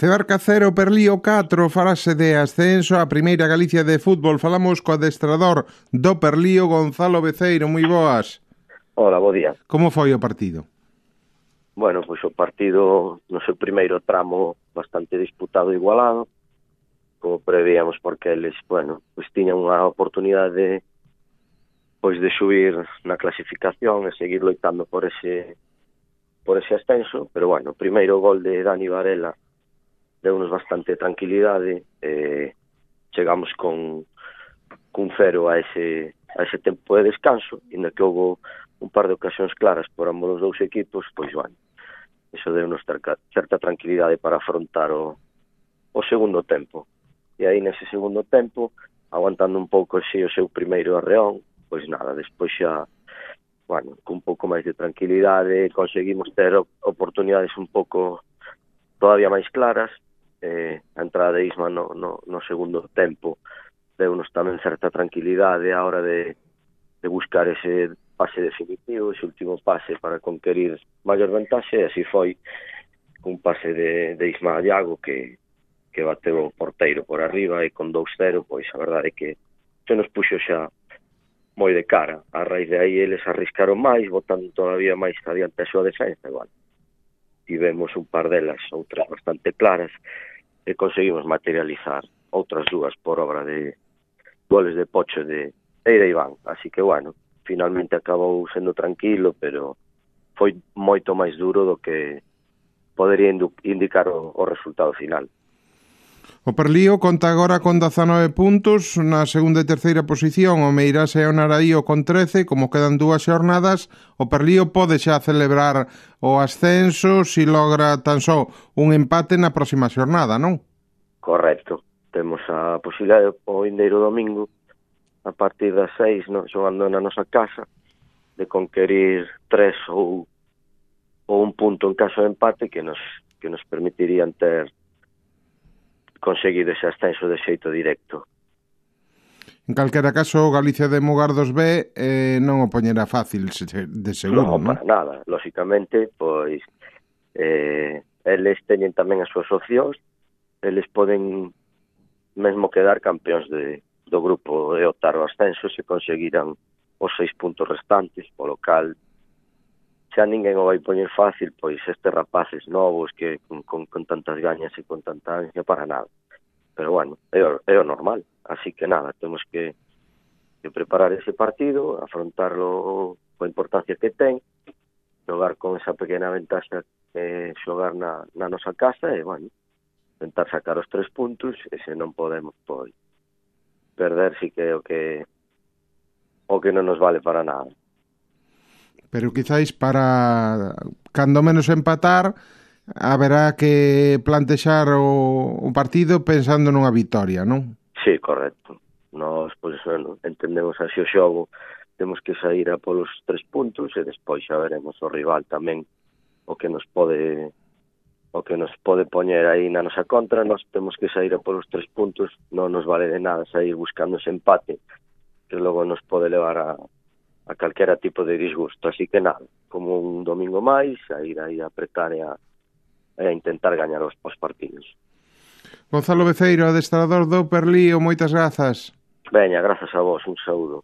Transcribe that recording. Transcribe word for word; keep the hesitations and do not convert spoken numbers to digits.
Febarca cero, Perlío catro, farase de ascenso a Primeira Galicia de fútbol. Falamos co adestrador do Perlío, Gonzalo Beceiro. Moi boas. Hola, bo día. Como foi o partido? Bueno, pois o partido no seu primeiro tramo bastante disputado e igualado, como prevíamos, porque eles, bueno, pois tiñan unha oportunidade de, pois de subir na clasificación e seguir loitando por ese por ese ascenso, pero bueno, o primeiro gol de Dani Varela deu-nos bastante tranquilidade, eh, chegamos con cun cero a ese a ese tempo de descanso, inda que houve un par de ocasións claras por ambos os dous equipos, pois, bueno, iso deu-nos certa tranquilidade para afrontar o, o segundo tempo. E aí, nese segundo tempo, aguantando un pouco así o seu primeiro arreón, pois nada, despois xa, bueno, con un pouco máis de tranquilidade, conseguimos ter oportunidades un pouco todavía máis claras. Eh, a entrada de Isma no, no, no segundo tempo deu-nos tamén certa tranquilidade a hora de, de buscar ese pase definitivo, ese último pase para conquerir maior vantaxe, e así foi un pase de, de Isma Iago que, que bateu o porteiro por arriba, e con dous cero, pois a verdade é que se nos puxo xa moi de cara. A raíz de aí eles arriscaron máis, botando todavía máis adiante a súa defensa, igual. Tivemos un par delas, outras bastante claras, e conseguimos materializar outras dúas por obra de goles de Pocho de Eira Iván. Así que, bueno, finalmente acabou sendo tranquilo, pero foi moito máis duro do que podería indicar o, o resultado final. O Perlío conta agora con dezanove puntos na segunda e terceira posición, o Meirás e o Naraío con trece. Como quedan dúas xornadas, o Perlío pode xa celebrar o ascenso se logra tan só un empate na próxima xornada, non? Correcto. Temos a posibilidade o vindeiro domingo, a partir das seis, no, xogando na nosa casa, de conquerir tres ou, ou un punto en caso de empate que nos, que nos permitirían ter conseguido ese ascenso de xeito directo. En calquera caso, Galicia de Mugardos B eh, non o poñerá fácil de seguro, non? Non, para nada. Lóxicamente, pois, eh, eles teñen tamén as súas opcións, eles poden mesmo quedar campeóns de, do grupo e optar ao ascenso se conseguiran os seis puntos restantes, polo cal xa ninguén o vai poñer fácil, pois estes rapaces novos que con, con, con tantas gañas e con tanta ansia, para nada. Pero bueno, é o, é o normal. Así que nada, temos que, que preparar ese partido, afrontarlo coa importancia que ten, xogar con esa pequena ventaxa que xogar na, na nosa casa e, bueno, tentar sacar os tres puntos, e se non podemos, pois, perder si que é o que o que non nos vale para nada. Pero quizáis para, cando menos empatar, haberá que plantexar o, o partido pensando nunha vitoria, non? Sí, correcto. Nos, pois, bueno, entendemos así o xogo, temos que sair a polos tres puntos e despois xa veremos o rival tamén o que nos pode o que nos pode poñer aí na nosa contra. Nos temos que sair a polos tres puntos, non nos vale de nada sair buscando ese empate que logo nos pode levar a a calquera tipo de disgusto. Así que nada, como un domingo máis, a ir aí a apretar e a, a intentar gañar os, os partidos. Gonzalo Beceiro, adestrador do Perlío, moitas grazas. Veña, grazas a vos, un saúdo.